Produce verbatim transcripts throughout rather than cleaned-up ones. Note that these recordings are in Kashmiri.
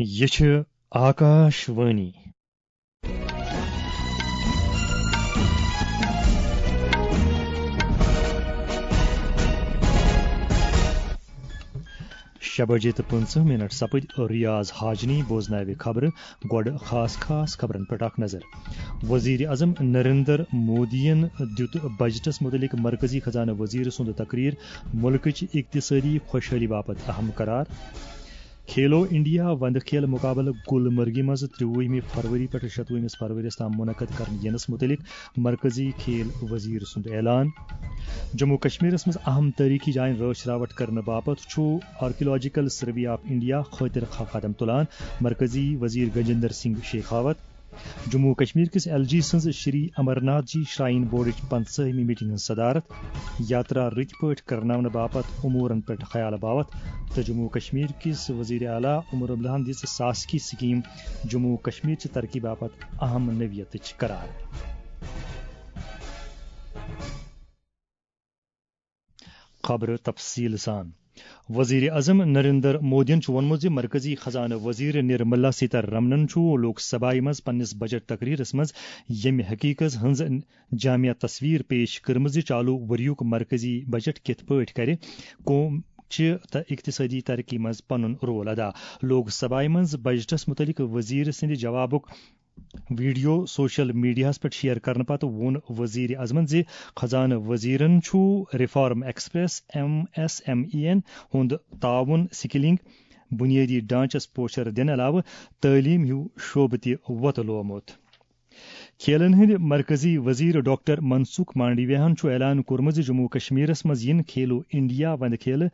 یہِ چھِ آکاش وانی۔ شےٚ بجے تہٕ پٕنٛژٕہ منٹ سپٕدۍ۔ ریاض حاجنی بوزناوِ خبرٕ۔ گۄڈٕ خاص خاص خبرن پٮ۪ٹھ اکھ نظر۔ وزیر اعظم نریندر مودیَن دیُت بجٹس متعلق مرکزی خزانہٕ وزیر سُنٛد تقریر مُلکٕچ اقتصٲدی خۄشحٲلی باپتھ اہم قرار۔ کھیلو انڈیا وندٕ کھیل مقابلہٕ گلمرگہِ منٛز ترٛوُہمہِ فروری پٮ۪ٹھٕ شتوُہمِس فرؤریَس تام منعقد کرنہٕ یِنَس مُتعلق مرکزی کھیل وزیر سُنٛد اعلان۔ جموں کشمیرس منٛز اہم تٲریخی جاین رٲچھ راوٹھ کرنہٕ باپتھ چھُ آرکیولوجیکل سروے آف انڈیا خٲطرٕ خا-، قدم تُلان مرکزی وزیر گجندر سنگھ شیخاوت۔ جموں کشمیر کِس ایل جی سٕنٛز شری امرناتھ جی شراین بورڈٕچ پنٛژاہمہِ میٹنگ ہٕنٛز صدارت۔ یاترا رٕتۍ پٲٹھۍ کرناونہٕ باپتھ امورن پٮ۪ٹھ خیال باوتھ تہٕ جموں کشمیر کِس وزیر اعلیٰ عمر عبداللہن دِژ ساسکی سکیٖم جموں کشمیر چہِ ترقی باپتھ اہم نوعیتٕچ قرار۔ خبرٕ تفصیٖل سان۔ وزیر اعظم نریندر مودیَن چھُ ووٚنمُت زِ مرکزی خزانہٕ وزیر نرملا سیتارمنَن چھُ لوک سبھایہِ منٛز پننِس بجٹ تقریرس منٛز ییٚمہِ حقیقت ہٕنٛز جامع تصویر پیش کٔرمٕژ زِ چالو ؤریُک مرکزی بجٹ کِتھ پٲٹھۍ کرِ قوم چہِ تہٕ اقتصٲدی ترقی منٛز پنُن رول ادا۔ لوک سبھایہِ منٛز بجٹس مُتعلق وزیر سٕنٛدِ جوابُک ویڈیو سوشل میڈیاہَس پٮ۪ٹھ شیئر کرنہٕ پتہٕ ووٚن وزیر اعظمَن زِ خزانہٕ وزیرَن چھُ reform express, M S M E یَن ہُنٛد تعاون، سکلنگ، بنیٲدی ڈھانچس پوچھر دِنہٕ علاوٕ تعلیٖم ہیوٗ شعبہٕ تہِ وۄتہٕ لومُت۔ کھیلن ہٕنٛدۍ مرکزی وزیر ڈاکٹر منسکھ مانڈویاہَن چھُ اعلان کوٚرمُت زِ جموں کشمیرس منٛز یِن کھیلو انڈیا وندٕ کھیلہٕ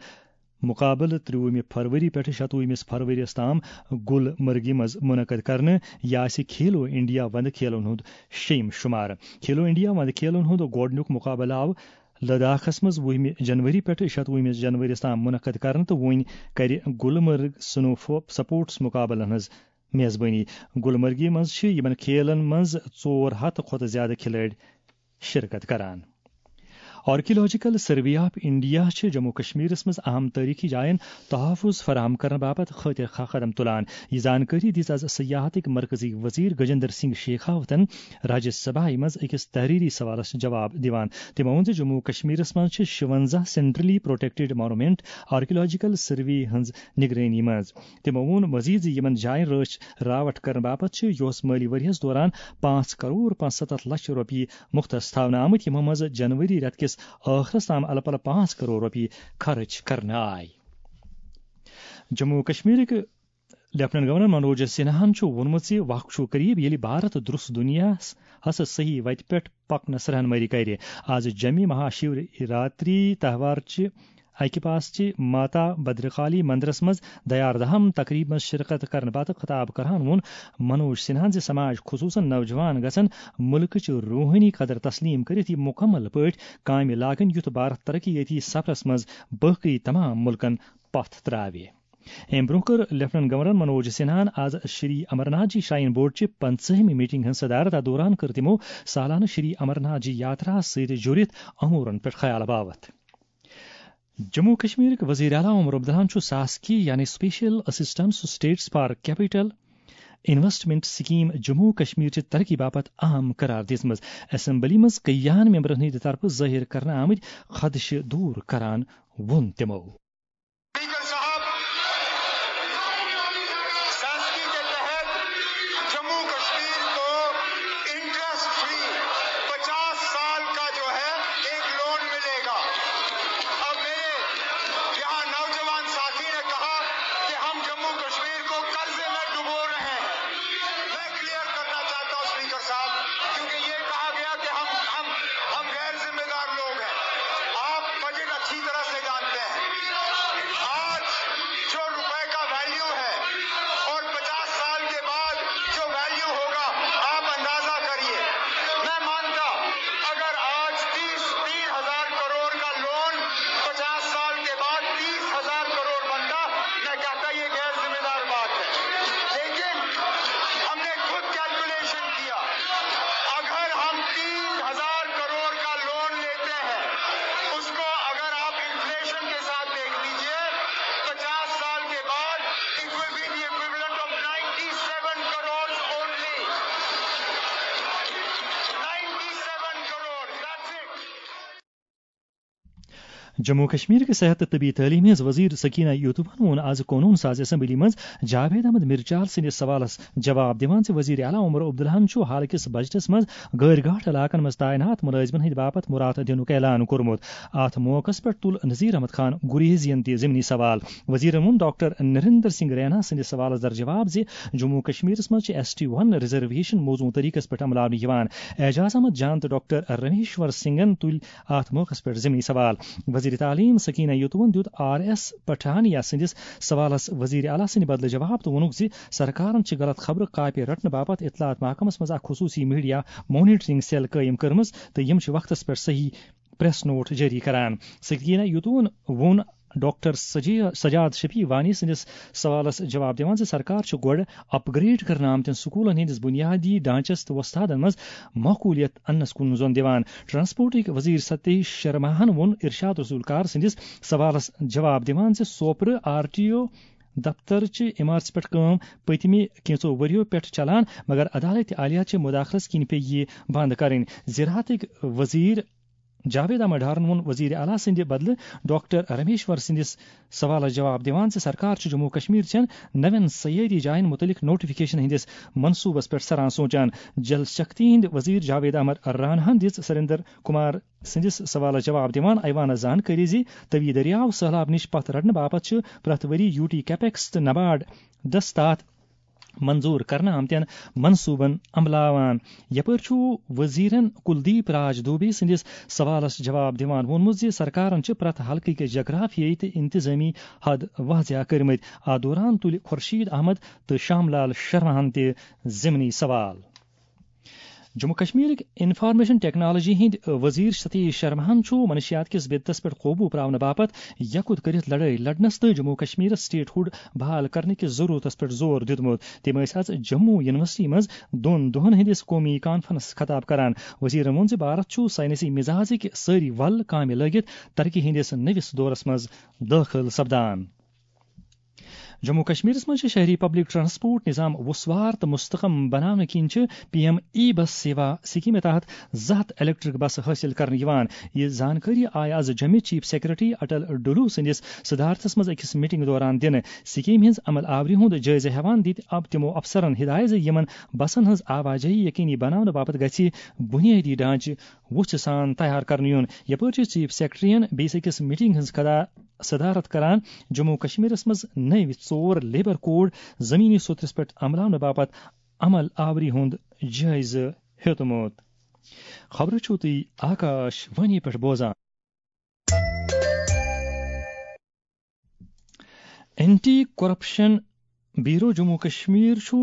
مقابلہٕ ترٛوُہمہِ فروری پٮ۪ٹھٕ شتوُہمِس فروریَس تام گلمرگہِ منٛز منعقد کرنہٕ۔ یہِ آسہِ کھیلو انڈیا وندٕ کھیلن ہُنٛد شیٚیِم شُمارٕ۔ کھیلو انڈیا وندٕ کھیلن ہُنٛد گۄڈٕنیُک مقابلہٕ آو لداخس منٛز وُہمہِ جنوری پٮ۪ٹھٕ شتوُہمِس جنوریَس تام منعقد کرنہٕ تہٕ وۄنۍ کرِ گلمرگ سنو فو-، سپورٹس مقابلن ہٕنٛز میزبٲنی۔ گلمرگہِ منٛز چھِ یِمن کھیلن منٛز ژور ہتھ کھۄتہٕ زیادٕ کھلٲڑۍ شرکت کران۔ آرکیالوجیکل سروے آف انڈیا چھِ جموں کشمیرس منٛز اہم تٲریخی جاین تحفظ فراہم کرنہٕ باپتھ خٲطرٕ خواہ قدم تُلان۔ یہِ زانکٲری دِژ از سیاحتٕکۍ مرکزی وزیر گجندر سنگھ شیخاوتن راجیہ سبھایہ منٛز أکِس تحریری سوالس جواب دِوان۔ تٔمۍ ووٚن زِ جموں کشمیرس منٛز چھِ شُونٛزاہ centrally protected Monument archaeological survey ہٕنٛز نگرٲنی منٛز۔ تٔمۍ ووٚن مزید زِ یِمن جاین رٲچھ راوٹھ کرنہٕ باپتھ چھِ یوس مٲلی ؤریَس دوران پانٛژھ کرور پانٛژستتھ لچھ رۄپیہِ مُختص تھاونہٕ آمٕتۍ، یِمو منٛز جنوری رٮ۪تہٕ کِس ٲخرس تام الہٕ پلہٕ پانٛژھ کرور رۄپیہِ خرٕچ کرنہٕ آیہِ۔ جموں و کشمیرٕکۍ لیفٹیننٹ گورنر منوج سنہاہن چھُ ووٚنمُت زِ وق چھُ قریب، ییٚلہِ بھارت درست دُنیاہس ہس صحیح وتہِ پٮ۪ٹھ پکنس رہنمٲیی کرِ۔ آز جمی مہا شیوراتری تہوار چہِ اکہِ پاس چہِ ماتا بدرکالی مندرس منٛز دیاردہم تقریب منٛز شرکت کرنہٕ پتہٕ خطاب کران ووٚن منوج سنہاہن زِ سماج، خصوصاً نوجوان، گژھن ملکٕچ روحٲنی قدر تسلیم کٔرِتھ یہِ مکمل پٲٹھۍ کامہِ لاگٕنۍ، یُتھ بھارت ترقی یٲتی سفرس منٛز باقی تمام ملکن پتھ تراوِ۔ امہِ برونٛہہ کٔر لیفٹیننٹ گورنر منوج سنہاہن آز شری امرناتھ جی شراین بورڈ چہِ پنٛژاہمہِ میٹنگ ہٕنٛز صدارت۔ اتھ دوران کٔر تِمو سالانہٕ شری امرناتھ جی یاترا سۭتۍ جُڑِتھ امورن پٮ۪ٹھ خیال باوتھ۔ جموں کشمیرٕکۍ وزیر اعلیٰ عمر عبداللہن چھُ ساسکی یعنی Special Assistance States for Capital Investment Scheme Jammu Kashmir چہِ ترقی باپتھ اہم قرار دِژمٕژ۔ اسمبلی منٛز کئیاہن ممبرن ہٕنٛدِ طرفہٕ ظٲہِر کرنہٕ آمٕتۍ خدشہٕ دوٗر کران ووٚن تِمو۔ اسپیکر صاحب، ساسکی کے تحت جموں کشمیر کو انٹرسٹ فری پچاس سال کا جو ہے ایک لون ملے گا۔ اب میرے یہاں نوجوان ساتھی نے کہا کہ ہم جموں کشمیر کو قرضے میں ڈبو رہے ہیں۔ میں کلیئر کرنا چاہتا ہوں اسپیکر صاحب، کیونکہ یہ کہا گیا کہ ہم، ہم، ہم غیر ذمہ دار لوگ ہیں۔ آپ بجٹ اچھی طرح سے جانتے ہیں۔ جموں کشمیر کہِ صحت تہٕ طبی تعلیٖم ہٕنٛز وزیر سکینہ یوتوٗہن ووٚن آز قونوٗن ساز اسمبلی منٛز جاوید احمد مرچال سٕنٛدِس سوالس جواب دِوان زِ وزیر اعلیٰ عمر عبداللہن چھُ حالکِس بجٹس منٛز غٲرۍ گاٹھ علاقن منٛز تعینات مُلٲزمن ہٕنٛدِ باپتھ مُراد دِنُک اعلان کوٚرمُت۔ اتھ موقعس پٮ۪ٹھ تُل نذیر احمد خان گریزین تہِ ضمنی سوال۔ وزیرن ووٚن ڈاکٹر نریندر سنگھ رینا سٕنٛدِس سوالس در جواب زِ جموں کشمیرس منٛز چھِ ایس ٹی ون ریزرویشن موزوں طریقس پٮ۪ٹھ عملاونہٕ یِوان۔ اعجاز احمد جان تہٕ ڈاکٹر رمیشور سنگھن تُلۍ اتھ موقعس پٮ۪ٹھ ضمنی سوال۔ وزیر تعلیٖم سکینہ یوتوٗہن دیُت آر ایس پٹھانیہ سٕنٛدِس سوالس وزیر اعلیٰ سٕنٛدِ بدلہٕ جواب تہٕ ووٚنُکھ زِ سرکارن چھِ غلط خبرٕ کاپی رٹنہٕ باپتھ اطلاعات محکمس منٛز اکھ خصوٗصی میڈیا مانیٹرنگ سیل قٲیِم کٔرمٕژ تہٕ یِم چھِ وقتس پٮ۪ٹھ صحیح پریس نوٹ جٲری کران۔ سکینہ یوتوٗہن ووٚن ڈاکٹر سجی-، سجاد شفیع وانی سٕنٛدِس سوالس جواب دِوان زِ سرکار چھِ گۄڈٕ اپ گریڈ کرنہٕ آمتٮ۪ن سکوٗلن ہٕنٛدِس بُنیادی ڈھانچس تہٕ وۄستادن منٛز معقولیت اننس کُن زۄن دِوان۔ ٹرانسپورٹٕکۍ وزیر ستیش شرماہن ووٚن ارشاد رسول کار سٕنٛدِس سوالس جواب دِوان زِ سوپرٕ آر ٹی او دفتر چہِ عمارژِ پٮ۪ٹھ کٲم پٔتمہِ کینٛژو ؤرِیو پٮ۪ٹھ چلان، مگر عدالت عالیہ چہِ مداخلس کِنۍ پیٚیہِ یہِ بنٛد کرٕنۍ۔ زراعتٕکۍ وزیر جاوید احمد ڈارن ووٚن وزیر اعلیٰ سٕنٛدِ بدلہٕ ڈاکٹر رمیشور سٕنٛدِس سوالس جواب دِوان زِ سرکار چھِ جموں کشمیر چٮ۪ن نوٮ۪ن سیٲحتی جاین مُتعلق نوٹیفکیشن ہٕنٛدِس منصوبس پٮ۪ٹھ سران سونچان۔ جل شکتی ہٕنٛدۍ وزیر جاوید احمد راناہن دِژ سریندر کمار سٕنٛدِس سوالس جواب دِوان ایوانس زانکٲری زِ توی دٔریاو سٔہلاب نِش پتھ رٹنہٕ باپتھ چھِ پرٛٮ۪تھ ؤری یوٗ ٹی کیپیکس تہٕ نباڈ دستات منظور کرنہٕ آمتٮ۪ن منصوبن عملاوان۔ یپٲرۍ چھُ وزیرن کلدیپ راج دوبے سٕنٛدِس سوالس جواب دِوان ووٚنمُت زِ سرکارن چھِ پرٛٮ۪تھ حلقہٕ کِس جغرافیٲیی تہٕ انتظٲمی حد واضح کٔرمٕتۍ۔ اتھ دوران تُلہِ خورشید احمد تہٕ شام لال شرماہن تہِ ضمنی سوال۔ جموں کشمیرٕکۍ انفارمیشن ٹیکنالوجی ہٕنٛدۍ وزیر ستیش شرماہن چھُ منشیات کِس بدعتس پٮ۪ٹھ قوبوٗ پراونہٕ باپتھ یکُت کٔرِتھ لڑٲے لڑنس تہٕ جموں کشمیرس سٹیٹ ہُڈ بحال کرنہٕ کِس ضروٗرتس پٮ۪ٹھ زور دیُتمُت۔ تٔمۍ ٲسۍ از جموں یونیورسٹی منٛز دۄن دۄہن ہٕنٛدِس قومی کانفرنس خطاب کران۔ وزیرن ووٚن زِ بھارت چھُ ساینسی مزاجٕکۍ سٲری ول کامہِ لٲگِتھ ترقی ہٕنٛدِس نٔوِس دورس منٛز دٲخل سپدان۔ جموں کشمیرس منٛز چھِ شہری پبلک ٹرانسپورٹ نظام وسوار تہٕ مستحکم بناونہٕ کِنۍ چھِ پی ایم ای بس سیوا سکیمہِ تحت زٕ ہتھ الیکٹرک بس حٲصِل کرنہٕ یِوان۔ یہِ زانکٲری آیہِ از جوٚمہِ چیف سیکرٹری اٹل ڈولو سٕنٛدِس صدارتس منٛز أکِس میٹنگ دوران دِنہٕ۔ سکیمہِ ہٕنٛز عمل آوری ہُنٛد جٲیزٕ ہٮ۪وان دِتۍ آو تِمو افسرن ہدایت زِ یِمن بسن ہٕنٛز آوازٲہی یقینی بناونہٕ باپتھ گژھِ بنیٲدی ڈھانچہٕ وُژھِ سان تیار کرنہٕ یُن۔ یپٲرۍ چھِ چیف سیکرٹریَن بیٚیِس أکِس میٹنگ ہٕنٛز خدا-، صدارت کران جموں کشمیرس منٛز نٔوۍ ژور لیبر کوڈ زمینی سوترس پٮ۪ٹھ عملاونہٕ باپتھ عمل آوری ہُنٛد جٲیزٕ ہیوٚتمُت۔ خبرٕ چھِو تُہۍ آکاش وانی پٮ۪ٹھ بوزان۔ Anti corruption bureau Jammu Kashmir چھُ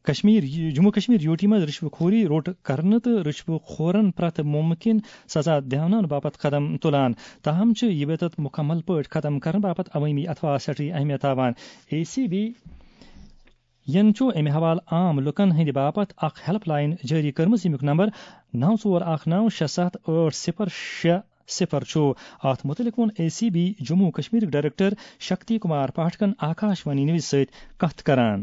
کشمیر، جموں کشمیر یوٗ ٹی منٛز رشوٕ خوری روٚٹ کرنہٕ تہٕ رشوٕ خورن پرٛٮ۪تھ مُمکِن سزا دِونہٕ باپتھ قدم تُلان۔ تاہم چھُ یہِ بدعت مُکمل پٲٹھۍ ختم کرنہٕ باپتھ عوٲمی اتھواس سٮ۪ٹھٕے اہمیت تھاوان۔ اے سی بی ین چھُ امہِ حوالہٕ عام لوٗکن ہٕنٛدِ باپتھ اکھ ہیلپ لاین جٲری کٔرمٕژ، ییٚمیُک نمبر نو ژور اکھ نو شےٚ ستھ ٲٹھ صفر شےٚ صفر چھُ۔ اتھ مُتعلق ووٚن اے سی بی جموں کشمیرٕکۍ ڈائریکٹر شکتی کمار پاٹھکن آکاش وانی نیوز سۭتۍ کتھ کران۔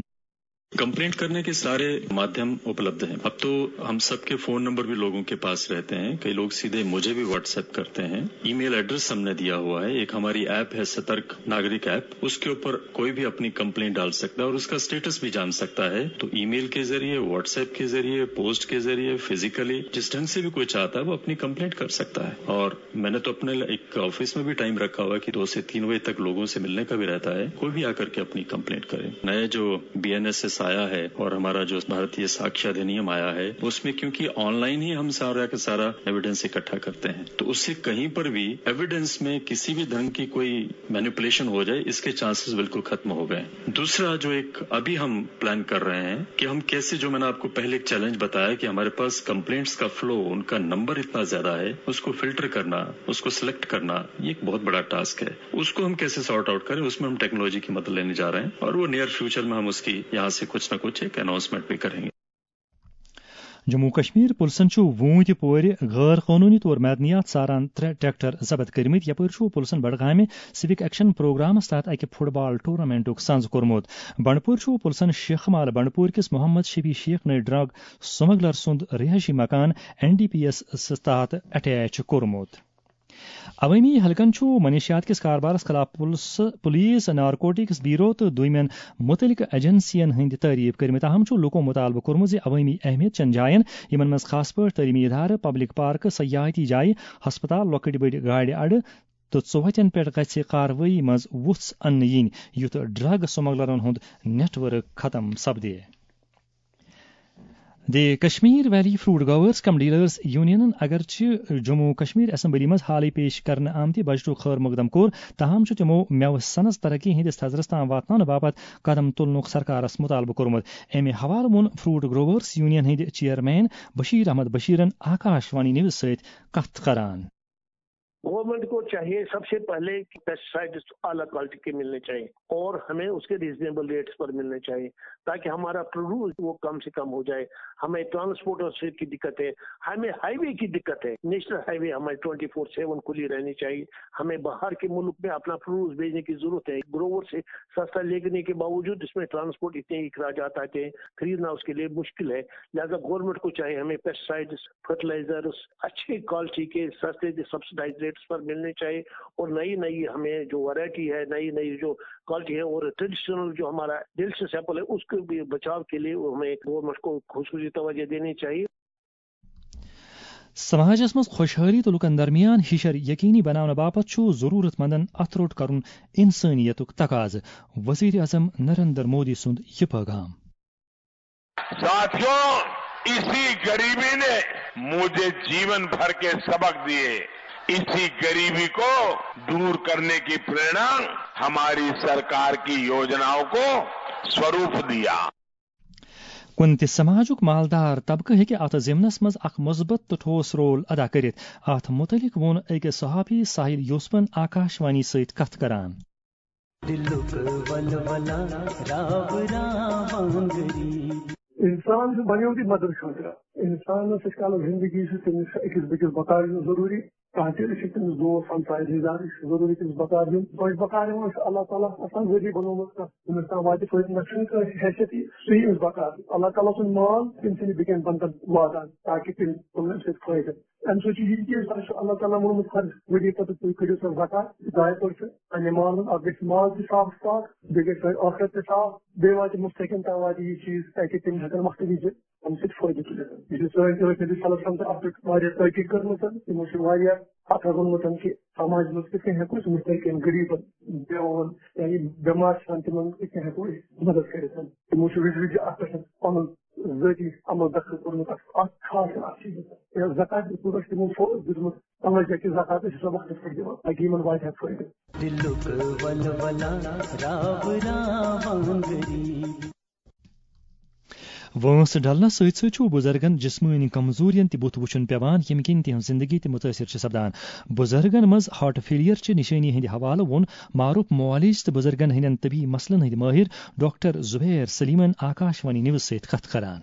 कंप्लेंट करने के सारे माध्यम उपलब्ध हैं। अब तो हम सबके फोन नंबर भी लोगों के पास रहते हैं। कई लोग सीधे मुझे भी व्हाट्सएप करते हैं। ईमेल एड्रेस हमने दिया हुआ है। एक हमारी ऐप है सतर्क नागरिक ऐप, उसके ऊपर कोई भी अपनी कंप्लेंट डाल सकता है और उसका स्टेटस भी जान सकता है। तो ईमेल के जरिए, व्हाट्सएप के जरिए, पोस्ट के जरिए, फिजिकली, जिस ढंग से भी कोई चाहता है वो अपनी कंप्लेंट कर सकता है। और मैंने तो अपने एक ऑफिस में भी टाइम रखा हुआ है कि दो से तीन बजे तक लोगों से मिलने का भी रहता है। कोई भी आकर के अपनी कंप्लेंट करे। नया जो बीएनएसएस आया है और हमारा जो भारतीय साक्ष्य अधिनियम आया है, उसमें क्योंकि ऑनलाइन ही हम सारा का सारा एविडेंस इकट्ठा करते हैं, तो उससे कहीं पर भी एविडेंस में किसी भी ढंग की कोई मैनिपुलेशन हो जाए, इसके चांसेस बिल्कुल खत्म हो गए हैं। दूसरा जो एक अभी हम प्लान कर रहे हैं कि हम कैसे, जो मैंने आपको पहले एक चैलेंज बताया कि हमारे पास कंप्लेंट्स का फ्लो, उनका नंबर इतना ज्यादा है, उसको फिल्टर करना, उसको सिलेक्ट करना, ये एक बहुत बड़ा टास्क है। उसको हम कैसे सॉर्ट आउट करें, उसमें हम टेक्नोलॉजी की मदद लेने जा रहे हैं और वो नियर फ्यूचर में हम उसकी यहाँ से कुछ ना कुछ एक अनाउंसमेंट भी करेंगे। جموں کشمیر پُلسن چھُ ووٗنۍ تہِ پورِ غٲر قونوٗنی طور معدنیات ژاران ترٛےٚ ٹریکٹر ضبط کٔرمٕتۍ۔ یپٲرۍ چھُ پُلسن بڈگامہِ سِوک ایکشن پروگرامس تحت اکہِ فٹ بال ٹورنامنٹُک سنز کوٚرمُت۔ بنڈپور چھُ پُلسن شیخ مال بنڈپور کِس محمد شفیع شیخ نٔے ڈرگ سمگلر سُنٛد رہٲیشی مکان این ڈی پی ایس تحت اٹیچ کوٚرمُت۔ عوٲمی حلقن چھُ منشیات کِس کاربارس خلاف پُلس، پُلیٖس، نارکوٹکس بیورو تہٕ دوٚیمٮ۪ن مُتعلقہٕ ایجنسین ہٕنٛدۍ تعریف کٔرمٕتۍ۔ تاہم چھُ لوٗکو مُطالبہٕ کوٚرمُت زِ عوٲمی اہمیت چٮ۪ن جاین، یِمن منٛز خاص پٲٹھۍ تعلیمی ادارٕ، پبلک پارکہٕ، سیاحتی جایہِ، ہسپتال، لۄکٕٹۍ بٔڑۍ گاڑِ اڈٕ تہٕ ژوتٮ۪ن پٮ۪ٹھ گژھِ کاروٲیی منٛز وُژھ اننہٕ یِنۍ، یُتھ ڈرگ سمگلرن ہُنٛد نیٹ ورک ختم سپدِ۔ دی کشمیر ویلی فروٹ گروورز کم ڈیلرز یونینن اگرچہ جموں کشمیر اسمبلی منٛز حالٕے پیش کرنہٕ آمتہِ بجٹُک خٲر مقدم کوٚر، تاہم چھُ تِمو مٮ۪وٕ سنز ترقی ہٕنٛدِس تھزرس تام واتناونہٕ باپتھ قدم تُلنُک سرکارس مطالبہٕ کوٚرمُت۔ امہِ حوالہٕ ووٚن فروٹ گروورز یونین ہٕنٛدۍ چیئرمین بشیر احمد بشیرن آکاش وانی نیوز سۭتۍ کتھ کران۔ گورنمنٹ کو چاہیے سب سے پہلے کہ پیسٹیسائڈز اعلیٰ کوالٹی کے ملنے چاہیے اور ہمیں اس کے ریزنیبل ریٹس پر ملنے چاہیے، تاکہ ہمارا پروڈیوس وہ کم سے کم ہو جائے۔ ہمیں ٹرانسپورٹرز کی دقت ہے، ہمیں ہائی وے کی دقت ہے، نیشنل ہائی وے ہماری ٹوئنٹی فور سیون کھلی رہنی چاہیے۔ ہمیں باہر کے ملک میں اپنا پروڈیوس بھیجنے کی ضرورت ہے۔ گروور سے سستا لینے کے باوجود اس میں ٹرانسپورٹ اتنے اخراجات آتے ہیں، خریدنا اس کے لیے مشکل ہے۔ لہذا گورنمنٹ کو چاہیے ہمیں پیسٹیسائڈز، فرٹیلائزرز اچھے کوالٹی کے سستے سبسڈائز ریٹس پر ملنے چاہیے اور نئی نئی ہمیں جو ورائٹی ہے، نئی نئی جو کوالٹی ہے اور ٹریڈیشنل جو ہمارا ڈیلیشس ایپل ہے، اس کے بھی بچاؤ کے لیے ہمیں گورنمنٹ کو خصوصی توجہ دینی چاہیے۔ سماجس منٛز خۄشحٲلی تہٕ لوٗکن درمیان ہِشر یقینی بناونہٕ باپتھ چھُ ضروٗرت مندن اتھٕ روٚٹ کرُن انسٲنیتُک تقاضہٕ، وزیر اعظم نریندر مودی سُنٛد یہِ پٲغام۔ ساتھیوں، اسی गरीबी ने मुझे जीवन भर के सबक दिए। इसी गरीबी को दूर करने की प्रेरणा हमारी सरकार की योजनाओं को स्वरूप दिया। کُنہِ تہِ سماجُک مالدار طبقہٕ ہیٚکہِ اتھ ضمنس منٛز اکھ مثبت تہٕ ٹھوس رول ادا کٔرِتھ۔ اتھ مُتعلق ووٚن أکِس صحافی ساحل یوسفن آکاش وانی سۭتۍ کتھ کران۔ دلُک ولولہ راو راوانگری۔ انسان چھُ بنیومُت مدد خٲطرٕ۔ انسانس یُس کالس زندگی چھِ، تٔمِس چھُ أکِس بیٚکِس بکار یُن ضروٗری۔ کانٛہہ تہِ چھُ تٔمِس دوست، ہمسایہِ، رشتہٕ دار چھُ ضروٗری تٔمِس بکار یُن۔ تۄہہِ بکار یِوان چھُ اللہ تعالیٰ ہس آسان ذٔریعہٕ بنومُت کانٛہہ۔ تٔمِس تام واتہِ فٲیدٕ، نہ چھُنہٕ کٲنٛسہِ حیثیت یہِ سُہ یی أمِس بکار۔ اللہ تعالیٰ سُنٛد مال تٔمۍ سٕنٛدِ بیٚکٮ۪ن بندن واتان، تاکہِ تِم تُلن اَمہِ سۭتۍ فٲیدٕ۔ اَمہِ سۭتۍ چھُ یہِ تہِ، تۄہہِ چھُ اللہ تعالیٰ ووٚنمُت فرض، ؤری پتہٕ تُہۍ کٔرِو سا زکات، ڈاے پٔرسنٹ پننہِ مال منٛز۔ اکھ گژھِ مال تہِ صاف پاک، بیٚیہِ گژھِ تۄہہِ ٲخرت تہِ صاف، بیٚیہِ واتہِ مستحقن تام واتہِ یہِ چیٖز، تاکہِ تِم ہٮ۪کن وقتہٕ وِزِ اَمہِ سۭتۍ فٲیدٕ تُلِتھ۔ یہِ چھُ سٲنۍ تہِ رسول صلی اللہ علیہ وسلم تہِ اَتھ پٮ۪ٹھ واریاہ تحقیق کٔرمٕژ، تِمو چھُ واریاہ کتھ ووٚنمُت کہِ سماجس منٛز کِتھ کٔنۍ ہٮ۪کو أسۍ مستحقن، غریٖبن، بے وَن، یا یِم بٮ۪مار چھِ آسان، تِمن کِتھ کٔنۍ ہٮ۪کو أسۍ مدد کٔرِتھ۔ تِمو چھُ وِزِ وِزِ اَتھ پٮ۪ٹھ پنُن ذٲتی عمل دخل کوٚرمُت اَتھ، اَتھ خاص اَتھ چیٖزَس پٮ۪ٹھ۔ یا زکات دِتھ کوٗتاہ چھُ تِمو فوراً دیُتمُت، تَوَے چھِ اَسہِ زکات أسۍ چھِ سۄ وقتَس پٮ۪ٹھ دِوان، تاکہِ یِمَن واتہِ ہا فٲیدٕ۔ دِلُک ولولہ راو راوانگری۔ وٲنٛس ڈلنس سۭتۍ سۭتۍ چھُ بُزرگن جسمٲنی کمزورین تہِ بُتھ وُچھُن پیوان، ییٚمہِ کِنۍ تِہنٛز زندگی تہِ مُتٲثر چھِ سپدان۔ بُزرگن منٛز ہارٹ فیلیر چہِ نشٲنی ہٕنٛدِ حوالہٕ ووٚن معروف معالج تہٕ بُزرگن ہٕنٛدٮ۪ن طبی مسلن ہٕنٛدۍ مٲہِر ڈاکٹر زبیر سلیمن آکاش وانی نیوز سۭتۍ کتھ کران۔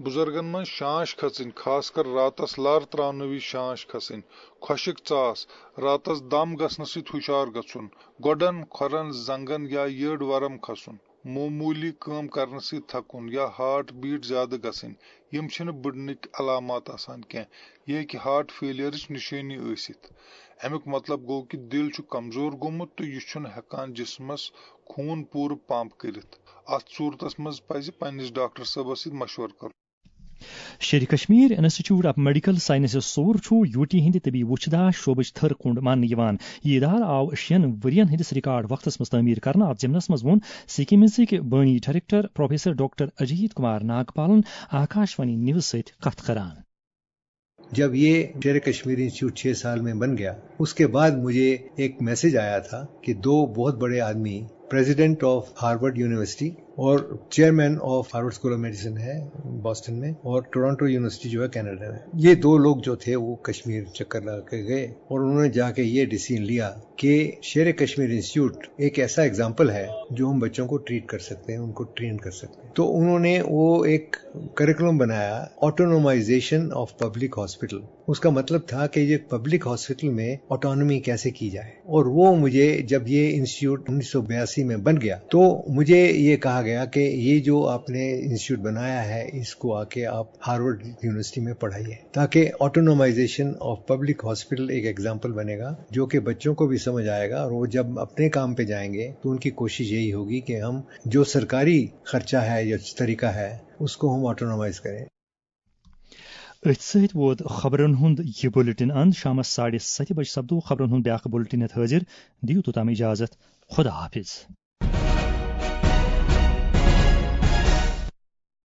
بُزرگن منٛز شانش کھژٕنۍ، خاص کر راتس لر تراونہٕ وِزِ شانش کھسٕنۍ، خۄشٕک ژاس، راتس دم گژھنہٕ سۭتۍ ہُشار گژھُن، گۄڈن، کھۄرن، زنگن یا یٔڈ ورم کھسُن، معموٗلی کٲم کرنہٕ سۭتۍ تھکُن یا ہارٹ بیٹ زیادٕ گژھٕنۍ، یِم چھِنہٕ بٕڈنٕکۍ علامات آسان کینٛہہ۔ یہِ ہیٚکہِ ہارٹ فیلئرٕچ نِشٲنی ٲسِتھ۔ اَمیُک مطلب گوٚو کہِ دِل چھُ کمزور گوٚمُت تہٕ یہِ چھُنہٕ ہٮ۪کان جسمس خوٗن پوٗرٕ پمپ کٔرِتھ۔ اتھ صوٗرتس منٛز پزِ پننِس ڈاکٹر صٲبس سۭتۍ مشورٕ کرُن۔ Sher-i Kashmir institute of medical sciences Soura چھُ یوٗ ٹی ہٕنٛدِ طبی وُچھ داش شعبٕچ تھٔر کُنڈ ماننہٕ یِوان۔ یہِ ادارٕ آو شیٚن ؤرین ہٕنٛدِس ریکارڈ وقتس منٛز تعمیٖر کرنہٕ۔ اتھ ضمنس منٛز ووٚن سکمزٕکۍ بٲنی director professor doctor Ajit Kumar ناگپالن آکاش وانی نیوز سۭتۍ کتھ کران۔ جب یہ شیر کشمیر انسٹیٹیوٹ چھ سال میں بن گیا، اس کے بعد مجھے ایک میسج آیا تھا کہ دو بہت بڑے آدمی، پریزیڈنٹ آف ہارورڈ یونیورسٹی اور chairman of Harvard school of medicine ہے بوسٹن میں، اور ٹورانٹو یونیورسٹی جو ہے کینیڈا میں، یہ دو لوگ جو تھے وہ کشمیر چکر لگا کے گئے اور انہوں نے جا کے یہ ڈیسیژن لیا कि शेर कश्मीर इंस्टीट्यूट एक ऐसा एग्जाम्पल है जो हम बच्चों को ट्रीट कर सकते हैं, उनको ट्रेन कर सकते हैं। तो उन्होंने वो एक करिकुलम बनाया, ऑटोनोमाइजेशन ऑफ पब्लिक हॉस्पिटल। उसका मतलब था कि ये पब्लिक हॉस्पिटल में ऑटोनॉमी कैसे की जाए। और वो मुझे, जब ये इंस्टीट्यूट उन्नीस सौ बयासी में बन गया, तो मुझे ये कहा गया कि ये जो आपने इंस्टीट्यूट बनाया है, इसको आके आप हार्वर्ड यूनिवर्सिटी में पढ़ाइए, ताकि ऑटोनोमाइजेशन ऑफ पब्लिक हॉस्पिटल एक एग्जाम्पल बनेगा, जो कि बच्चों को भी समझ आएगा। और वो जब अपने काम पे जाएंगे, तो उनकी कोशिश यही होगी कि हम जो सरकारी खर्चा है या तरीका है, उसको हम ऑटोनोमाइज करें। أتھۍ سۭتۍ ووت خبرن ہُنٛد یہِ بُلٹن اند۔ شامس ساڑِ ستہِ بجہِ سپدو خبرن ہُنٛد بیٛاکھ بُلٹن ہیتھ حٲضِر۔ دِیِو توٚتام اجازت۔ خدا حافظ۔